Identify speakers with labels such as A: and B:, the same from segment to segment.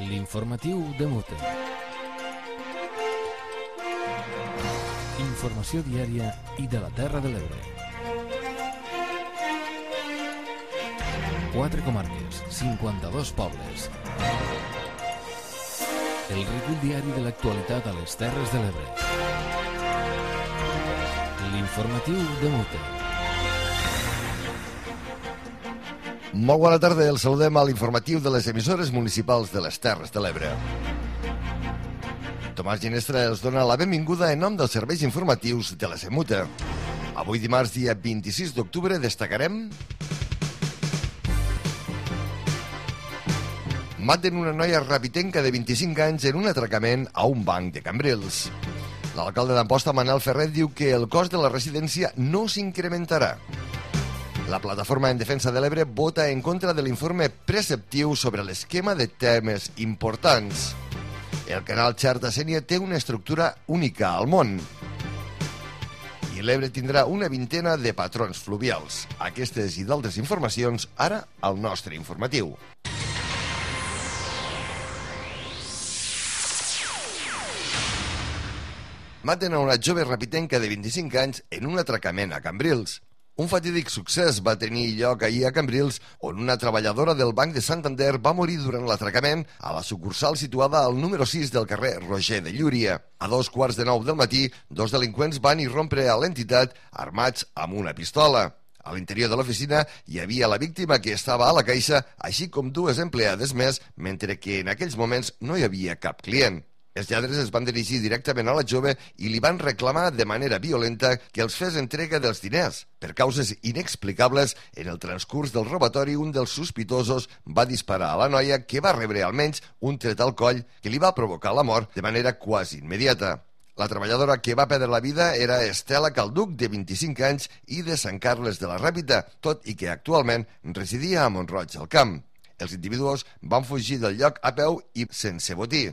A: L'informatiu de Mute. Informació diària i de la Terra de l'Ebre. 4 comarques, 52 pobles. El recull diari de l'actualitat a les Terres de l'Ebre. L'informatiu de Mute.
B: Molt bona tarda, el saludem a l'informatiu de les emissores municipals de les Terres de l'Ebre. Tomàs Ginestra els dona la benvinguda en nom dels serveis informatius de la SEMUTE. Avui dimarts, dia 26 d'octubre, destacarem... Maten una noia rapitenca de 25 anys en un atracament a un banc de Cambrils. L'alcalde d'Amposta, Manel Ferrer, diu que el cost de la residència no s'incrementarà. La plataforma en defensa de l'Ebre vota en contra de l'informe preceptiu sobre l'esquema de temes importants. El canal Xarta Sénia té una estructura única al món. I l'Ebre tindrà una vintena de patrons fluvials. Aquestes i d'altres informacions ara al nostre informatiu. Maten a una jove rapitenca de 25 anys en un atracament a Cambrils. Un fatídic succés va tenir lloc ahir a Cambrils, on una treballadora del Banc de Santander va morir durant l'atracament a la sucursal situada al número 6 del carrer Roger de Llúria. A 2:15 del matí, dos delinqüents van irrompre a l'entitat armats amb una pistola. A l'interior de l'oficina hi havia la víctima que estava a la caixa, així com dues empleades més, mentre que en aquells moments no hi havia cap client. Els lladres es van dirigir directament a la jove i li van reclamar de manera violenta que els fes entrega dels diners. Per causes inexplicables, en el transcurs del robatori, un dels sospitosos va disparar a la noia, que va rebre almenys un tret al coll que li va provocar la mort de manera quasi immediata. La treballadora que va perdre la vida era Estela Calduc, de 25 anys i de Sant Carles de la Ràpita, tot i que actualment residia a Mont-roig del Camp. Els individus van fugir del lloc a peu i sense botí.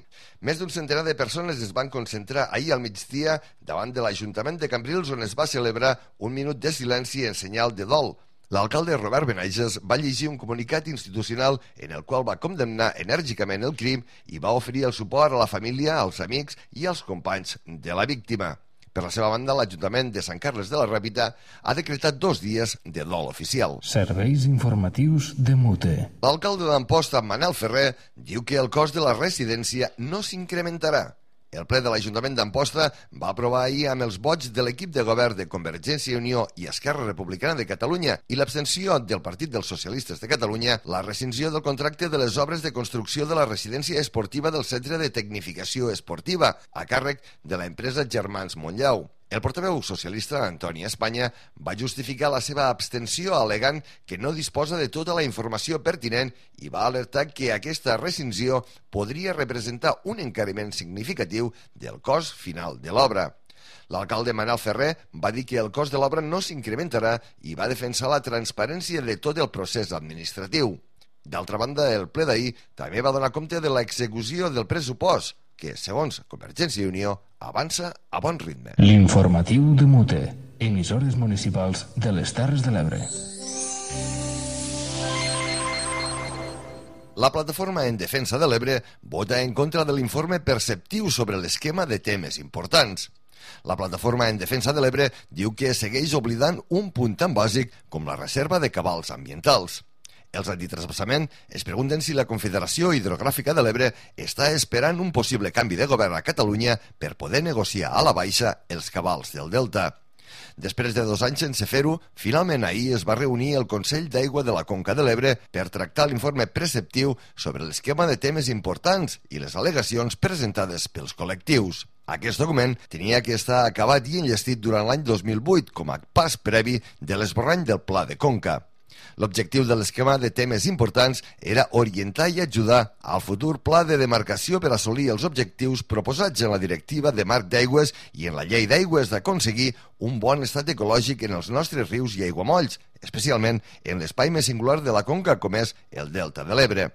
B: Més d'un centenar de persones es van concentrar ahir al migdia davant de l'Ajuntament de Cambrils, on es va celebrar un minut de silenci en senyal de dol. L'alcalde Robert Benages va llegir un comunicat institucional en el qual va condemnar enèrgicament el crim i va oferir el suport a la família, als amics i als companys de la víctima. Per la seva banda, l'Ajuntament de Sant Carles de la Ràpita ha decretat 2 dies de dol oficial.
A: Serveis informatius de Mute.
B: L'alcalde d'Amposta, Manel Ferrer, diu que el cost de la residència no s'incrementarà. El ple de l'Ajuntament d'Amposta va aprovar ahir amb els vots de l'equip de govern de Convergència i Unió i Esquerra Republicana de Catalunya i l'abstenció del Partit dels Socialistes de Catalunya la rescissió del contracte de les obres de construcció de la residència esportiva del Centre de Tecnificació Esportiva, a càrrec de l'empresa Germans Montllau. El portaveu socialista, Antoni Espanya, va justificar la seva abstenció al·legant que no disposa de tota la informació pertinent i va alertar que aquesta rescissió podria representar un encariment significatiu del cost final de l'obra. L'alcalde Manel Ferrer va dir que el cost de l'obra no s'incrementarà i va defensar la transparència de tot el procés administratiu. D'altra banda, el ple d'ahir també va donar compte de l'execució del pressupost, que, segons Convergència i Unió, avança a bon ritme.
A: L'informatiu de Mute. Emissores municipals de les Terres de l'Ebre.
B: La plataforma en defensa de l'Ebre vota en contra de l'informe preceptiu sobre l'esquema de temes importants. La plataforma en defensa de l'Ebre diu que segueix oblidant un punt tan bàsic com la reserva de cabals ambientals. Els antitrasbassament es pregunten si la Confederació Hidrogràfica de l'Ebre està esperant un possible canvi de govern a Catalunya per poder negociar a la baixa els cabals del Delta. Després de 2 anys sense fer-ho, finalment ahir es va reunir el Consell d'Aigua de la Conca de l'Ebre per tractar l'informe preceptiu sobre l'esquema de temes importants i les al·legacions presentades pels col·lectius. Aquest document tenia que estar acabat i enllestit durant l'any 2008 com a pas previ de l'esborrany del Pla de Conca. L'objectiu de l'esquema de temes importants era orientar i ajudar al futur pla de demarcació per assolir els objectius proposats en la Directiva de Marc d'Aigües i en la Llei d'Aigües d'aconseguir un bon estat ecològic en els nostres rius i aiguamolls, especialment en l'espai més singular de la conca com és el Delta de l'Ebre.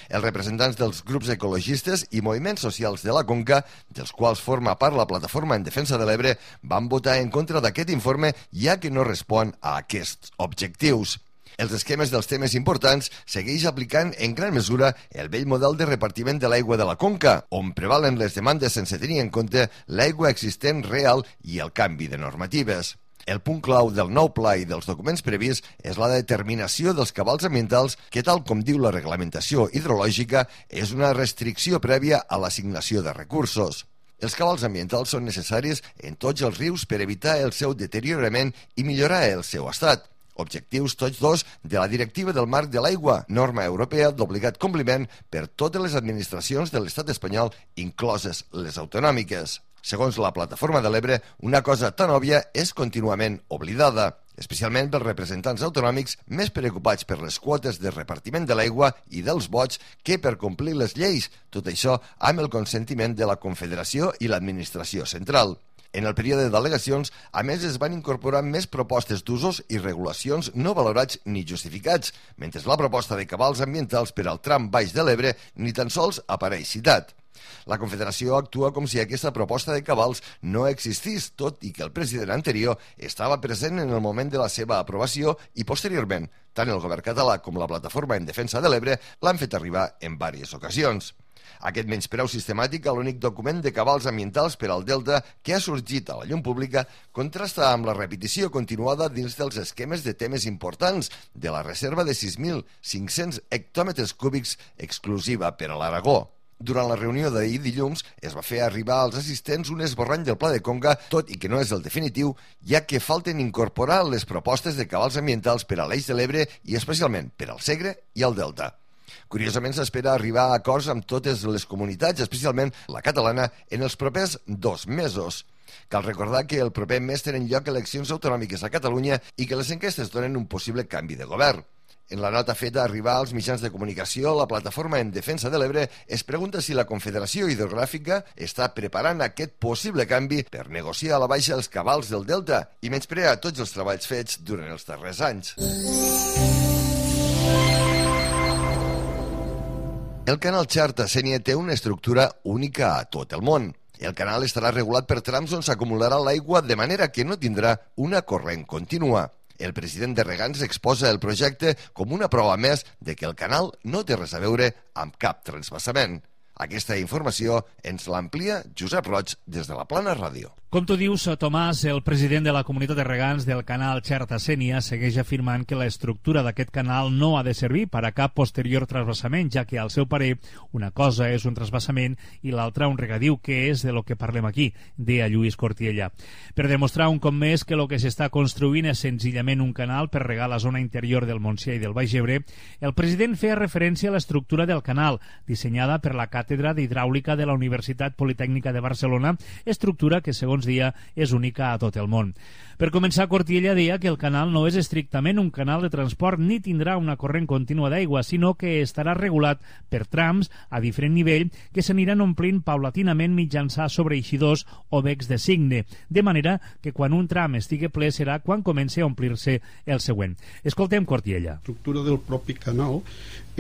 B: Els representants dels grups ecologistes i moviments socials de la conca, dels quals forma part la Plataforma en Defensa de l'Ebre, van votar en contra d'aquest informe ja que no respon a aquests objectius. Els esquemes dels temes importants segueix aplicant en gran mesura el vell model de repartiment de l'aigua de la conca, on prevalen les demandes sense tenir en compte l'aigua existent real i el canvi de normatives. El punt clau del nou pla i dels documents previs és la determinació dels cabals ambientals que, tal com diu la reglamentació hidrològica, és una restricció prèvia a l'assignació de recursos. Els cabals ambientals són necessaris en tots els rius per evitar el seu deteriorament i millorar el seu estat. Objectius tots dos de la Directiva del Marc de l'Aigua, norma europea d'obligat compliment per totes les administracions de l'estat espanyol, incloses les autonòmiques. Segons la Plataforma de l'Ebre, una cosa tan òbvia és contínuament oblidada, especialment pels representants autonòmics més preocupats per les quotes de repartiment de l'aigua i dels vots que per complir les lleis, tot això amb el consentiment de la Confederació i l'administració central. En el període d'al·legacions, a més, es van incorporar més propostes d'usos i regulacions no valorats ni justificats, mentre la proposta de cabals ambientals per al tram baix de l'Ebre ni tan sols apareix citat. La Confederació actua com si aquesta proposta de cabals no existís, tot i que el president anterior estava present en el moment de la seva aprovació i, posteriorment, tant el govern català com la Plataforma en Defensa de l'Ebre l'han fet arribar en diverses ocasions. Aquest menyspreu sistemàtic a l'únic document de cabals ambientals per al Delta que ha sorgit a la llum pública contrasta amb la repetició continuada dins dels esquemes de temes importants de la reserva de 6.500 hectòmetres cúbics exclusiva per a l'Aragó. Durant la reunió d'ahir dilluns es va fer arribar als assistents un esborrany del Pla de Conca, tot i que no és el definitiu, ja que falten incorporar les propostes de cabals ambientals per a l'Eix de l'Ebre i especialment per al Segre i al Delta. Curiosament, s'espera arribar a acords amb totes les comunitats, especialment la catalana, en els propers 2 mesos. Cal recordar que el proper mes tenen lloc eleccions autonòmiques a Catalunya i que les enquestes donen un possible canvi de govern. En la nota feta a arribar als mitjans de comunicació, la Plataforma en Defensa de l'Ebre es pregunta si la Confederació Hidrogràfica està preparant aquest possible canvi per negociar a la baixa els cabals del Delta i menysprear tots els treballs fets durant els darrers anys. El canal Xerta-Sénia té una estructura única a tot el món. El canal estarà regulat per trams on s'acumularà l'aigua de manera que no tindrà una corrent contínua. El president de Regants exposa el projecte com una prova més de que el canal no té res a veure amb cap transvasament. Aquesta informació ens l'amplia Josep Roig des de la Plana Ràdio.
C: Com tu dius, Tomàs, el president de la comunitat de regants del canal Xerta-Sénia segueix afirmant que l'estructura d'aquest canal no ha de servir per a cap posterior transvasament, ja que, al seu parer, una cosa és un transvasament i l'altra un regadiu, que és de lo que parlem aquí, deia Lluís Cortiella. Per demostrar un cop més que el que s'està construint és senzillament un canal per regar la zona interior del Montsià i del Baix Ebre, el president feia referència a l'estructura del canal, dissenyada per la Càtedra d'Hidràulica de la Universitat Politècnica de Barcelona, estructura que, segons dia, és única a tot el món. Per començar, Cortiella deia que el canal no és estrictament un canal de transport ni tindrà una corrent contínua d'aigua, sinó que estarà regulat per trams a diferent nivell que s'aniran omplint paulatinament mitjançant sobreeixidors o becs de cigne, de manera que quan un tram estigui ple serà quan comenci a omplir-se el següent. Escoltem Cortiella.
D: L'estructura del propi canal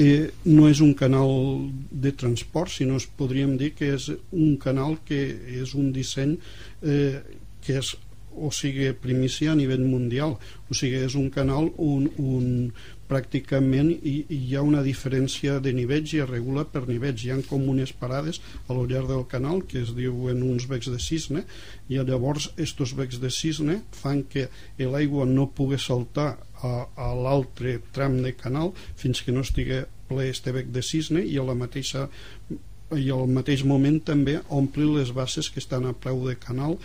D: no és un canal de transport, sinó podríem dir que és un canal que és un disseny que és, o sigui, primícia a nivell mundial. O sigui, és un canal on pràcticament hi ha una diferència de nivells i es regula per nivells. Hi ha com unes parades a lo llarg del canal que es diuen uns becs de cisne, i llavors estos becs de cisne fan que l'aigua no pugui saltar a l'altre tram de canal fins que no estigui ple este bec de cisne, i al mateix moment també omplir les basses que estan a peu de canal,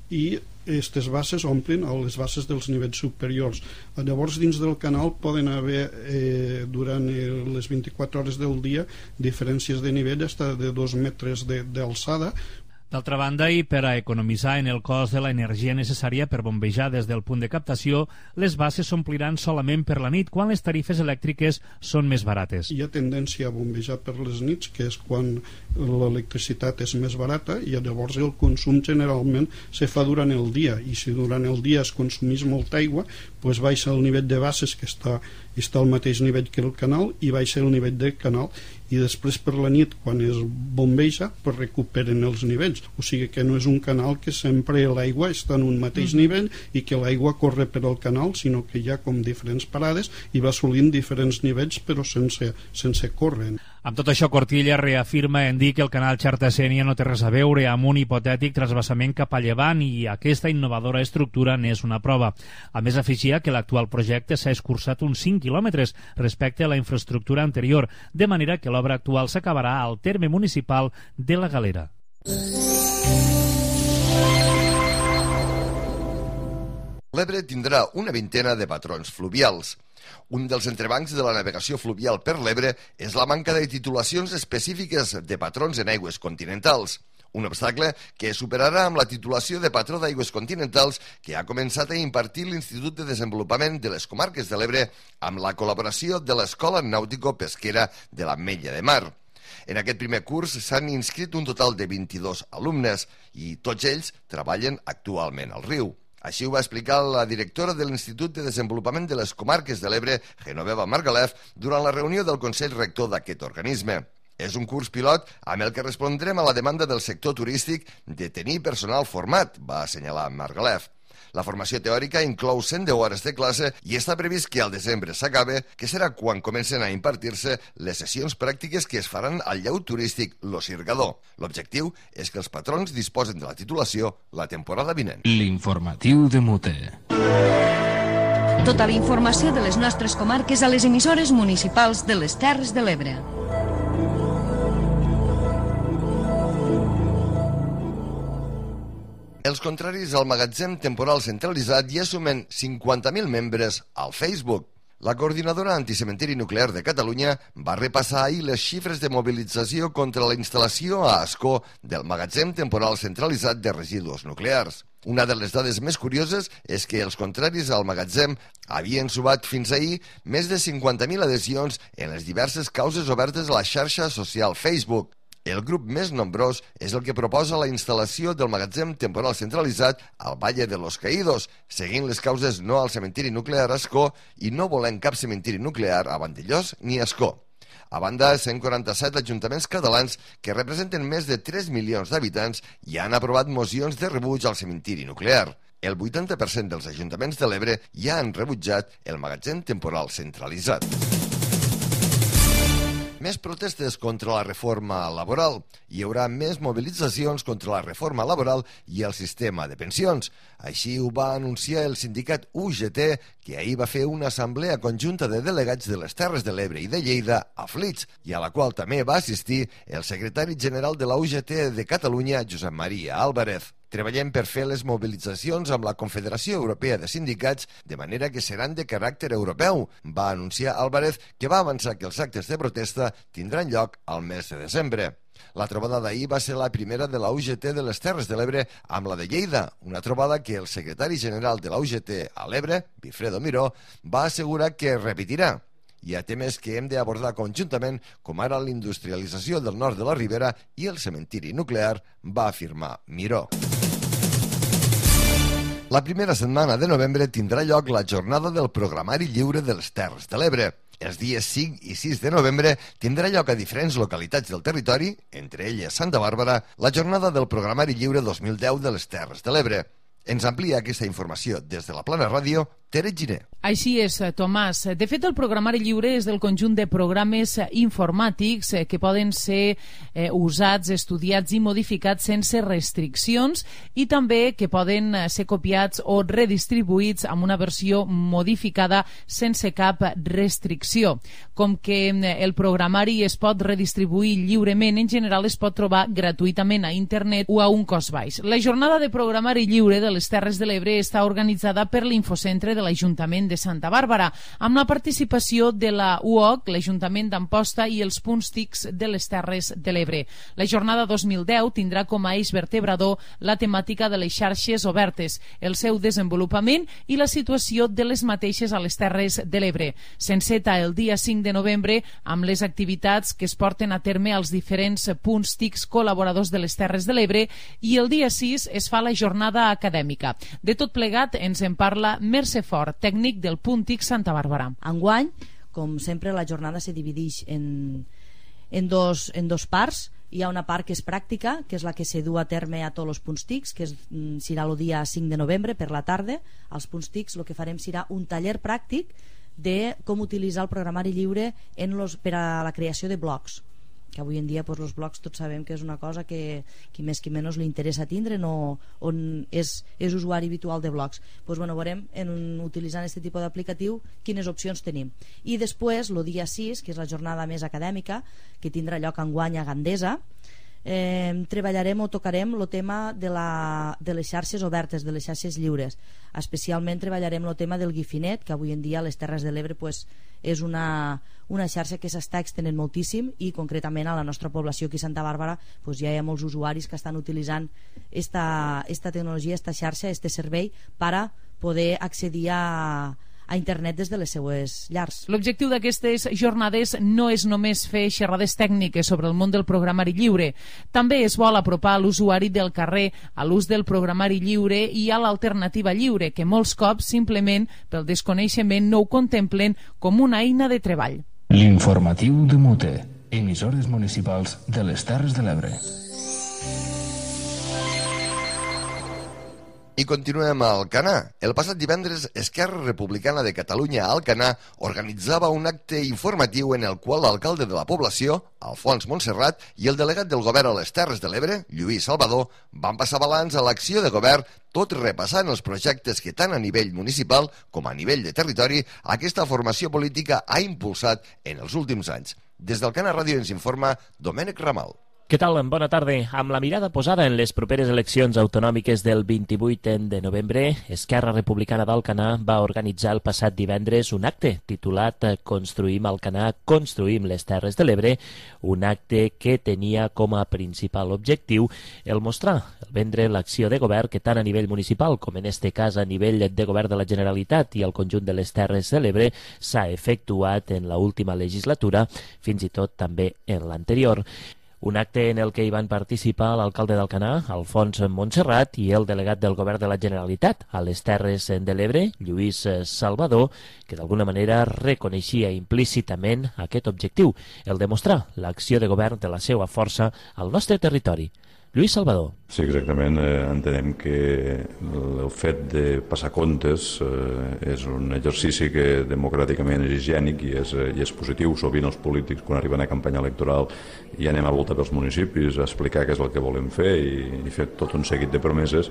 D: i aquestes basses omplen a les basses dels nivells superiors. Llavors, dins del canal poden haver durant les 24 hores del dia diferències de nivell fins de 2 metres d'alçada.
C: D'altra banda, i per a economitzar en el cost de l'energia necessària per bombejar des del punt de captació, les basses s'ompliran solament per la nit, quan les tarifes elèctriques són més barates.
D: Hi ha tendència a bombejar per les nits, que és quan l'electricitat és més barata, i llavors el consum generalment se fa durant el dia, i si durant el dia es consumís molta aigua, doncs baixa el nivell de bases, que està al mateix nivell que el canal, i baixa el nivell del canal, i després per la nit, quan es bombeja, pues recuperen els nivells. O sigui que no és un canal que sempre l'aigua està en un mateix nivell i que l'aigua corre per al canal, sinó que hi ha com diferents parades i va assolint diferents nivells però sense córrer.
C: Amb tot això, Cortilla reafirma en dir que el canal Xarta-Sénia no té res a veure amb un hipotètic trasbassament cap a llevant, i aquesta innovadora estructura n'és una prova. A més, afegia que l'actual projecte s'ha escurçat uns 5 quilòmetres respecte a la infraestructura anterior, de manera que l'obra actual s'acabarà al terme municipal de la Galera.
B: L'Ebre tindrà una vintena de patrons fluvials. Un dels entrebancs de la navegació fluvial per l'Ebre és la manca de titulacions específiques de patrons en aigües continentals. Un obstacle que superarà amb la titulació de patró d'aigües continentals que ha començat a impartir l'Institut de Desenvolupament de les Comarques de l'Ebre amb la col·laboració de l'Escola Nàutico-Pesquera de l'Ametlla de Mar. En aquest primer curs s'han inscrit un total de 22 alumnes i tots ells treballen actualment al riu. Així ho va explicar la directora de l'Institut de Desenvolupament de les Comarques de l'Ebre, Genoveva Margalef, durant la reunió del Consell Rector d'aquest organisme. És un curs pilot amb el que respondrem a la demanda del sector turístic de tenir personal format, va assenyalar Margalef. La formació teòrica inclou 110 hores de classe i està previst que al desembre s'acabe, que serà quan comencen a impartir-se les sessions pràctiques que es faran al llaut turístic Lo Sirgador. L'objectiu és que els patrons disposen de la titulació la temporada vinent.
A: L'informatiu de Mute.
E: Tota la informació de les nostres comarques a les emissores municipals de les Terres de l'Ebre.
B: Els contraris al magatzem temporal centralitzat ja sumen 50.000 membres al Facebook. La coordinadora anticementiri nuclear de Catalunya va repassar ahir les xifres de mobilització contra la instal·lació a Ascó del magatzem temporal centralitzat de residus nuclears. Una de les dades més curioses és que els contraris al magatzem havien sumat fins ahir més de 50.000 adhesions en les diverses causes obertes a la xarxa social Facebook. El grup més nombrós és el que proposa la instal·lació del magatzem temporal centralitzat al Valle de los Caídos, seguint les causes no al cementiri nuclear Ascó i no volent cap cementiri nuclear a Vandellós ni Ascó. A banda, 147 ajuntaments catalans que representen més de 3 milions d'habitants i han aprovat mocions de rebuig al cementiri nuclear. El 80% dels ajuntaments de l'Ebre ja han rebutjat el magatzem temporal centralitzat. Més protestes contra la reforma laboral. Hi haurà més mobilitzacions contra la reforma laboral i el sistema de pensions. Així ho va anunciar el sindicat UGT, que ahir va fer una assemblea conjunta de delegats de les Terres de l'Ebre i de Lleida a Flix, i a la qual també va assistir el secretari general de la UGT de Catalunya, Josep Maria Álvarez. Treballem per fer les mobilitzacions amb la Confederació Europea de Sindicats de manera que seran de caràcter europeu, va anunciar Álvarez, que va avançar que els actes de protesta tindran lloc al mes de desembre. La trobada d'ahir va ser la primera de la UGT de les Terres de l'Ebre amb la de Lleida, una trobada que el secretari general de la UGT a l'Ebre, Wilfredo Miró, va assegurar que repetirà. Hi ha temes que hem d'abordar conjuntament, com ara l'industrialització del nord de la Ribera i el cementiri nuclear, va afirmar Miró. La primera setmana de novembre tindrà lloc la jornada del programari lliure de les Terres de l'Ebre. Els dies 5 i 6 de novembre tindrà lloc a diferents localitats del territori, entre elles Santa Bàrbara, la jornada del programari lliure 2010 de les Terres de l'Ebre. Ens amplia aquesta informació des de la Plana Ràdio, Tere Giner.
F: Així és, Tomàs. De fet, el programari lliure és del conjunt de programes informàtics que poden ser usats, estudiats i modificats sense restriccions i també que poden ser copiats o redistribuïts amb una versió modificada sense cap restricció. Com que el programari es pot redistribuir lliurement, en general es pot trobar gratuïtament a internet o a un cost baix. La jornada de programari lliure de les Terres de l'Ebre està organitzada per l'Infocentre de l'Ajuntament de Santa Bàrbara, amb la participació de la UOC, l'Ajuntament d'Amposta i els punts TICs de les Terres de l'Ebre. La jornada 2010 tindrà com a eix vertebrador la temàtica de les xarxes obertes, el seu desenvolupament i la situació de les mateixes a les Terres de l'Ebre. S'enceta el dia 5 de novembre amb les activitats que es porten a terme als diferents punts TICs col·laboradors de les Terres de l'Ebre i el dia 6 es fa la jornada acadèmica. De tot plegat ens en parla Mercè Fort, tècnic del Punt TIC Santa Bàrbara.
G: Enguany, com sempre, la jornada se divideix en dos parts. Hi ha una part que és pràctica, que és la que se du a terme a tots els punts TICs, que serà el dia 5 de novembre per la tarda. Als punts TICs el que farem serà un taller pràctic de com utilitzar el programari lliure per a la creació de blogs, que avui en dia els blogs tots sabem que és una cosa que qui més qui menys li interessa tindre, on és usuari habitual de blogs. Veurem utilitzant aquest tipus d'aplicatiu quines opcions tenim. I després, el dia 6, que és la jornada més acadèmica, que tindrà lloc enguany a Gandesa, treballarem o tocarem el tema de les xarxes obertes, de les xarxes lliures. Especialment treballarem el tema del Guifinet, que avui en dia a les Terres de l'Ebre és una xarxa que s'està extenent moltíssim, i concretament a la nostra població aquí a Santa Bàrbara ja hi ha molts usuaris que estan utilitzant esta tecnologia, esta xarxa, este servei per a poder accedir a internet des de les seues llars.
F: L'objectiu d'aquestes jornades no és només fer xerrades tècniques sobre el món del programari lliure, també es vol apropar l'usuari del carrer a l'ús del programari lliure i a l'alternativa lliure, que molts cops simplement pel desconeixement no ho contemplen com una eina de treball.
A: L'informatiu de Mute, emissores municipals de les Terres de l'Ebre.
B: I continuem a Alcanar. El passat divendres, Esquerra Republicana de Catalunya a Alcanar organitzava un acte informatiu en el qual l'alcalde de la població, Alfons Montserrat, i el delegat del govern a les Terres de l'Ebre, Lluís Salvador, van passar balanç a l'acció de govern, tot repassant els projectes que tant a nivell municipal com a nivell de territori aquesta formació política ha impulsat en els últims anys. Des d'Alcanar Ràdio ens informa Domènec Ramal.
H: Què tal? Bona tarda. Amb la mirada posada en les properes eleccions autonòmiques del 28 de novembre, Esquerra Republicana d'Alcanar va organitzar el passat divendres un acte titulat Construïm Alcanar, construïm les Terres de l'Ebre, un acte que tenia com a principal objectiu el mostrar, el vendre l'acció de govern que tant a nivell municipal com en este cas a nivell de govern de la Generalitat i al conjunt de les Terres de l'Ebre s'ha efectuat en l'última legislatura, fins i tot també en l'anterior. Un acte en el que hi van participar l'alcalde d'Alcanar, Alfons Montserrat, i el delegat del govern de la Generalitat a les Terres de l'Ebre, Lluís Salvador, que d'alguna manera reconeixia implícitament aquest objectiu, el de mostrar l'acció de govern de la seva força al nostre territori. Lluís Salvador.
I: Sí, exactament. Entenem que el fet de passar comptes és un exercici que democràticament és higiènic i és positiu. Sovint els polítics, quan arriben a campanya electoral, ja anem a volta pels municipis a explicar què és el que volem fer i fer tot un seguit de promeses,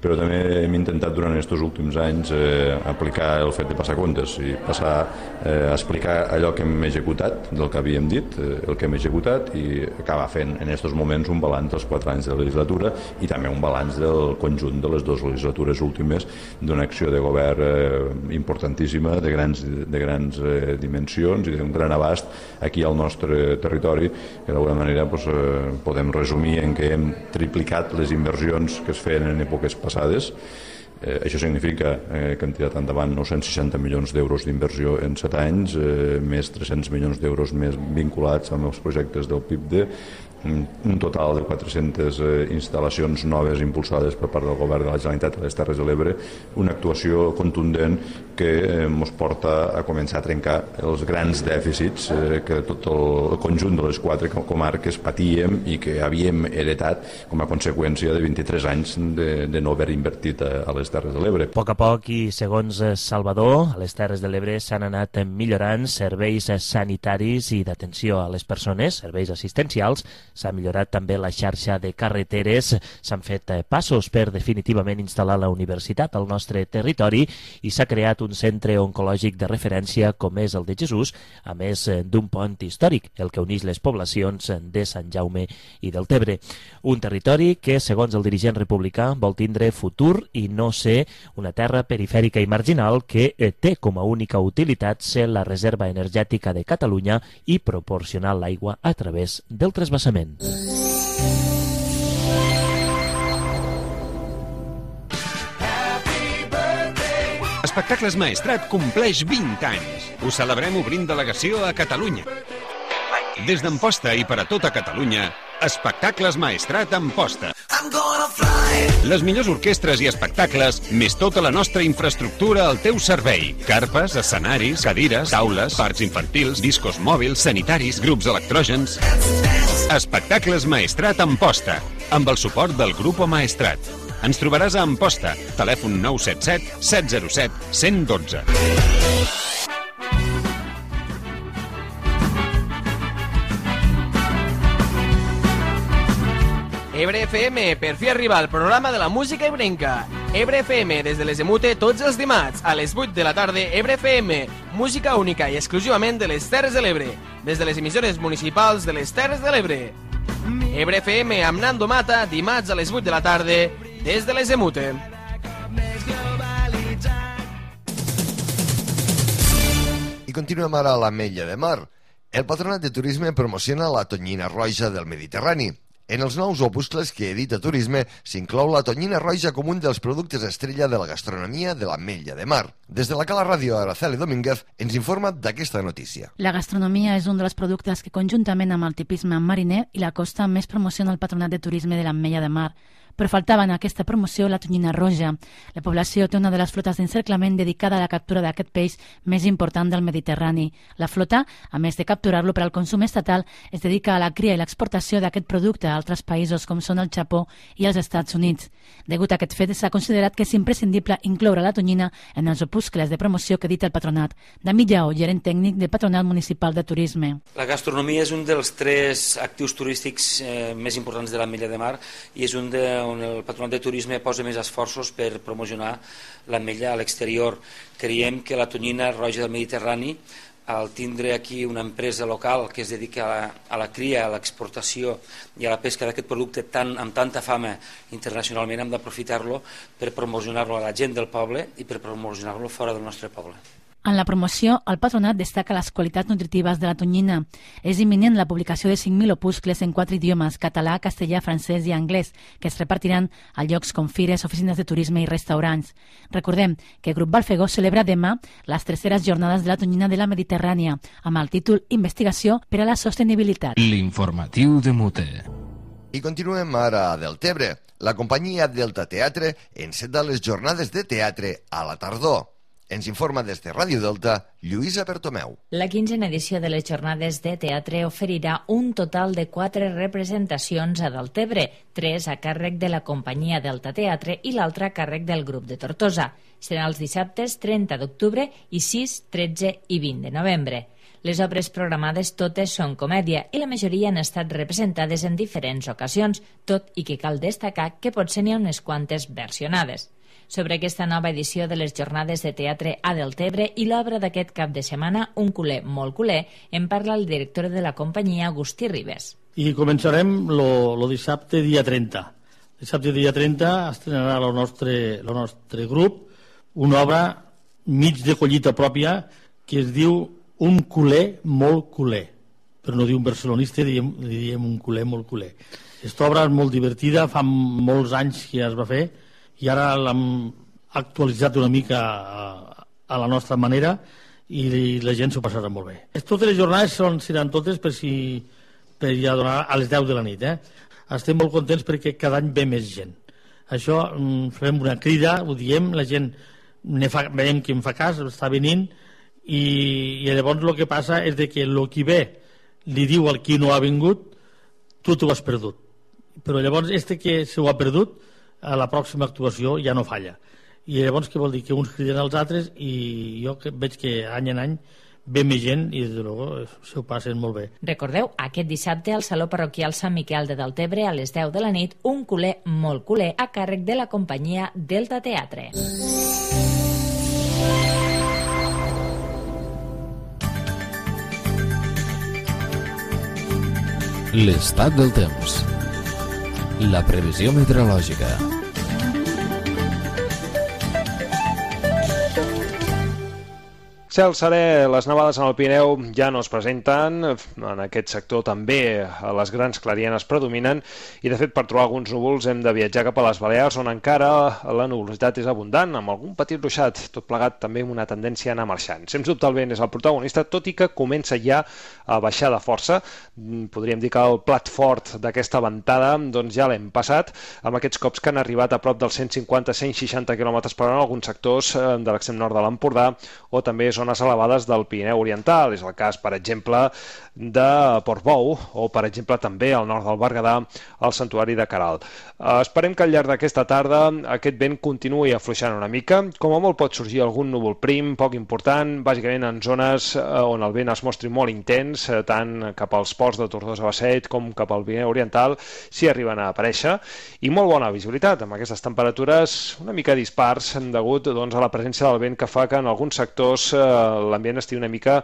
I: però també hem intentat durant aquests últims anys aplicar el fet de passar comptes i passar a explicar allò que hem executat, del que havíem dit, el que hem executat, i acabar fent en aquests moments un balanç dels 4 anys de la legislatura i també un balanç del conjunt de les 2 legislatures últimes d'una acció de govern importantíssima, de grans dimensions i d'un gran abast aquí al nostre territori, que d'alguna manera podem resumir en què hem triplicat les inversions que es feien en èpoques passades. Això significa que hem tirat endavant 960 milions d'euros d'inversió en 7 anys, més 300 milions d'euros més vinculats amb els projectes del PIBD, un total de 400 instal·lacions noves impulsades per part del govern de la Generalitat a les Terres de l'Ebre, una actuació contundent que ens porta a començar a trencar els grans dèficits que tot el conjunt de les 4 comarques patíem i que havíem heretat com a conseqüència de 23 anys de no haver invertit a les Terres de l'Ebre.
H: A poc i segons Salvador, a les Terres de l'Ebre s'han anat millorant serveis sanitaris i d'atenció a les persones, serveis assistencials. S'ha millorat també la xarxa de carreteres, s'han fet passos per definitivament instal·lar la universitat al nostre territori i s'ha creat un centre oncològic de referència com és el de Jesús, a més d'un pont històric, el que uneix les poblacions de Sant Jaume i del Tebre. Un territori que, segons el dirigent republicà, vol tindre futur i no ser una terra perifèrica i marginal que té com a única utilitat ser la reserva energètica de Catalunya i proporcionar l'aigua a través del transvasament.
J: Espectacles Maestrat compleix 20 anys. Ho celebrem obrint delegació a Catalunya. Des d'Amposta i per a tota Catalunya, Espectacles Maestrat Amposta. I'm gonna fly. Les millors orquestres i espectacles, més tota la nostra infraestructura al teu servei. Carpes, escenaris, cadires, taules, parcs infantils, discos mòbils, sanitaris, grups electrògens... Espectacles Maestrat Amposta, amb el suport del Grupo Maestrat. Ens trobaràs a Amposta, telèfon 977 707 112.
K: Ebre FM, per fi arriba al programa de la música ebrenca. Ebre FM, des de les Emute, tots els dimarts, a les 8 de la tarda, Ebre FM, música única i exclusivament de les Terres de l'Ebre, des de les emissores municipals de les Terres de l'Ebre. Ebre FM amb Nando Mata, dimarts a les 8 de la tarda, des de les Emute.
B: I continuem ara a l'Ametlla de Mar. El Patronat de Turisme promociona la tonyina roja del Mediterrani. En els nous opuscles que edita Turisme s'inclou la tonyina roja com un dels productes estrella de la gastronomia de l'Ametlla de Mar. Des de la Cala Ràdio, Araceli Domínguez ens informa d'aquesta notícia.
L: La gastronomia és un dels productes que conjuntament amb el tipisme mariner i la costa més promociona el Patronat de Turisme de l'Ametlla de Mar. Però faltava en aquesta promoció la tonyina roja. La població té una de les flotes d'encerclament dedicada a la captura d'aquest peix més important del Mediterrani. La flota, a més de capturar-lo per al consum estatal, es dedica a la cria i l'exportació d'aquest producte a altres països com són el Japó i els Estats Units. Degut a aquest fet, s'ha considerat que és imprescindible incloure la tonyina en els opuscles de promoció que edita el Patronat. David Lleó, gerent tècnic del Patronat Municipal de Turisme.
M: La gastronomia és un dels 3 actius turístics més importants de l'Ametlla de Mar i és un on el Patronat de Turisme posa més esforços per promocionar l'Ametlla a l'exterior. Creiem que la tonyina roja del Mediterrani, al tindre aquí una empresa local que es dedica a la cria, a l'exportació i a la pesca d'aquest producte amb tanta fama internacionalment, hem d'aprofitar-lo per promocionar-lo a la gent del poble i per promocionar-lo fora del nostre poble.
L: En la promoció, el Patronat destaca les qualitats nutritives de la tonyina. És imminent la publicació de 5.000 opuscles en 4 idiomes, català, castellà, francès i anglès, que es repartiran a llocs com fires, oficines de turisme i restaurants. Recordem que el Grup Balfegó celebra demà les 3eres jornades de la tonyina de la Mediterrània, amb el títol Investigació per a la sostenibilitat.
A: L'informatiu de Mute.
B: I continuem ara a Deltebre. La companyia Delta Teatre enceta les jornades de teatre a la tardor. Ens informa des de Ràdio Delta, Lluïsa Bertomeu.
N: La 15a edició de les jornades de teatre oferirà un total de 4 representacions a Deltebre, 3 a càrrec de la companyia Delta Teatre i l'altra a càrrec del grup de Tortosa. Seran els dissabtes 30 d'octubre i 6, 13 i 20 de novembre. Les obres programades totes són comèdia i la majoria han estat representades en diferents ocasions, tot i que cal destacar que potser n'hi ha unes quantes versionades. Sobre aquesta nova edició de les jornades de teatre a Deltebre i l'obra d'aquest cap de setmana, Un culer molt culer, en parla el director de la companyia, Agustí Ribes.
O: I començarem lo dissabte dia 30. Dissabte dia 30 estrenarà el nostre grup una obra mig de collita pròpia que es diu Un culer molt culer. Per no dir un barcelonista, diem un culer molt culer. Aquesta obra és molt divertida, fa molts anys que es va fer i ara l'hem actualitzat una mica a la nostra manera i la gent s'ho passarà molt bé. Totes les jornades seran totes per ja donar a les 10 de la nit. Estem molt contents perquè cada any ve més gent. Això farem una crida, ho diem, la gent veiem que en fa cas, està venint i llavors el que passa és que el qui ve li diu al qui no ha vingut tu t'ho has perdut, però llavors que se ho ha perdut a la pròxima actuació ja no falla i llavors què vol dir? Que uns criden als altres i jo veig que any en any ve més gent i des de luego s'ho passen molt bé.
N: Recordeu, aquest dissabte al Saló Parroquial Sant Miquel de Deltebre a les 10 de la nit, Un culer molt culer a càrrec de la companyia Delta Teatre.
A: L'estat del temps. La previsió meteorològica.
P: Cel serè, les nevades en el Pirineu ja no es presenten, en aquest sector també les grans clarienes predominen i de fet per trobar alguns núvols hem de viatjar cap a les Balears on encara la nuvolositat és abundant, amb algun petit ruixat, tot plegat també amb una tendència a anar marxant. Sens dubte el vent és el protagonista, tot i que comença ja a baixar de força. Podríem dir que el plat fort d'aquesta ventada doncs ja l'hem passat, amb aquests cops que han arribat a prop dels 150-160 km per hora en alguns sectors de l'extrem nord de l'Empordà o també zones elevades del Pirineu Oriental. És el cas, per exemple, de Portbou o, per exemple, també al nord del Berguedà, al Santuari de Caral. Esperem que al llarg d'aquesta tarda aquest vent continuï afluixant una mica. Com a molt pot sorgir algun núvol prim, poc important, bàsicament en zones on el vent es mostri molt intens, tant cap als ports de Tortosa-Basseit com cap al Pirineu Oriental, si arriben a aparèixer, i molt bona visibilitat, amb aquestes temperatures una mica dispars degut a la presència del vent que fa que en alguns sectors l'ambient estigui una mica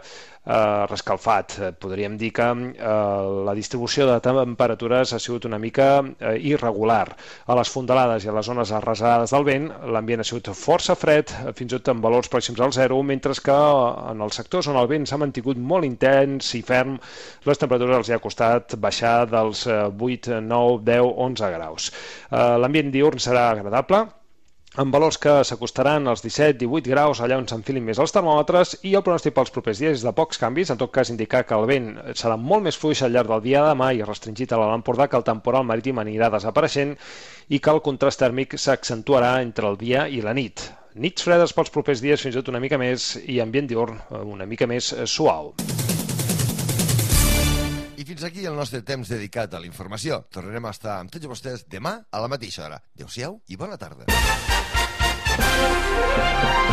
P: rescalfat. Podríem dir que la distribució de temperatures ha sigut una mica irregular. A les fondalades i a les zones arrasades del vent l'ambient ha sigut força fred, fins i tot amb valors pròxims al zero, mentre que en els sectors on el vent s'ha mantingut molt intens i ferm, les temperatures els ha costat baixar dels 8, 9, 10, 11 graus. L'ambient diürn serà agradable, amb valors que s'acostaran als 17-18 graus allà on s'enfilin més els termòmetres, i el pronòstic pels propers dies és de pocs canvis, en tot cas indicar que el vent serà molt més fluix al llarg del dia de demà i restringit a l'Alt Empordà, que el temporal marítim anirà desapareixent i que el contrast tèrmic s'accentuarà entre el dia i la nit. Nits fredes pels propers dies, fins i tot una mica més, i ambient diürn una mica més suau.
B: I fins aquí el nostre temps dedicat a la informació. Tornarem a estar amb tots vostès demà a la mateixa hora. Adéu-siau i bona tarda.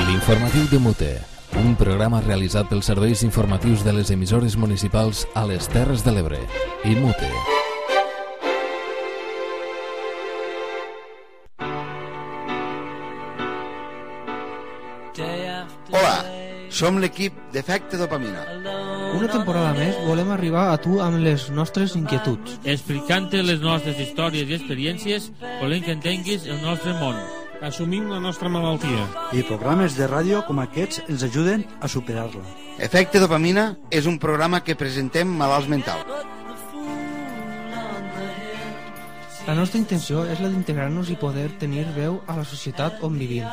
A: L'informatiu de Mute, un programa realitzat pels serveis informatius de les emissores municipals a les Terres de l'Ebre i Mute.
Q: Hola, som l'equip d'Efecte Dopamina.
R: Una temporada més volem arribar a tu amb les nostres inquietuds.
S: Explicant-te les nostres històries i experiències, volem que entenguis el nostre món.
T: Assumim la nostra malaltia.
U: I programes de ràdio com aquests ens ajuden a superar-la.
Q: Efecte Dopamina és un programa que presentem malalts mentals.
R: La nostra intenció és la d'integrar-nos i poder tenir veu a la societat on vivim.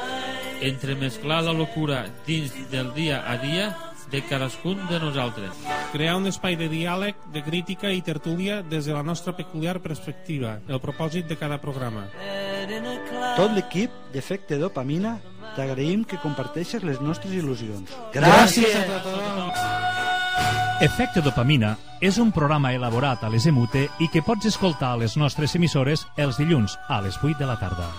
S: Entremesclar la locura dins del dia a dia de cadascun de nosaltres.
T: Crear un espai de diàleg, de crítica i tertúlia des de la nostra peculiar perspectiva, el propòsit de cada programa.
U: Tot l'equip d'Efecte Dopamina t'agraïm que comparteixes les nostres il·lusions.
C: Gràcies a tothom! Efecte Dopamina és un programa elaborat a les EMUTE i que pots escoltar a les nostres emissores els dilluns a les 8 de la tarda.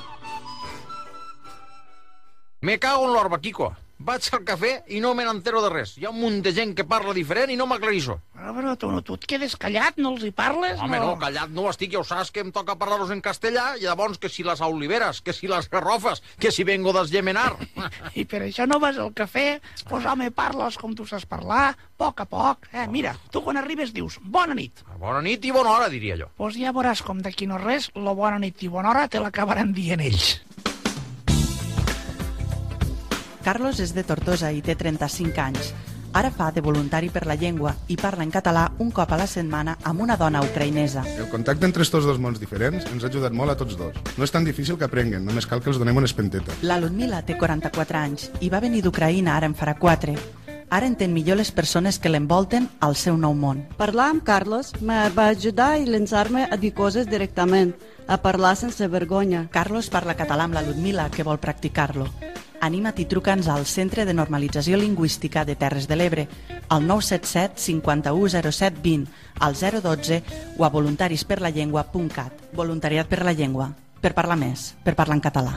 V: Me cago en l'orba, Kiko. Vaig al cafè i no me n'entero de res. Hi ha un munt de gent que parla diferent i no m'aclarisco.
W: Però tu et quedes callat, no els hi parles?
V: Home, no, callat no estic, ja ho saps que em toca parlar-los en castellà, i llavors que si les oliveres, que si les garrofes, que si vengo d'esgemenar.
W: I per això no vas al cafè? Pues home, parles com tu saps parlar, a poc. Mira, tu quan arribes dius bona nit.
V: Bona nit i bona hora, diria jo.
W: Pues ja veuràs com d'aquí no res, lo bona nit i bona hora te l'acabaran dient ells.
X: Carlos és de Tortosa i té 35 anys. Ara fa de voluntari per la llengua i parla en català un cop a la setmana amb una dona ucraïnesa.
Y: El contacte entre estos dos mons diferents ens ha ajudat molt a tots dos. No és tan difícil que aprenguen, només cal que els donem una espenteta.
X: La Ludmila té 44 anys i va venir d'Ucraïna ara en farà 4. Ara entén millor les persones que l'envolten al seu nou món.
Z: Parlar amb Carlos me va ajudar a llançar-me a dir coses directament, a parlar sense vergonya.
X: Carlos parla català amb la Ludmila, que vol practicar-lo. Anima't i truca'ns al Centre de Normalització Lingüística de Terres de l'Ebre, al 977 51 07 20, al 012 o a voluntarisperlallengua.cat. Voluntariat per la llengua, per parlar més, per parlar en català.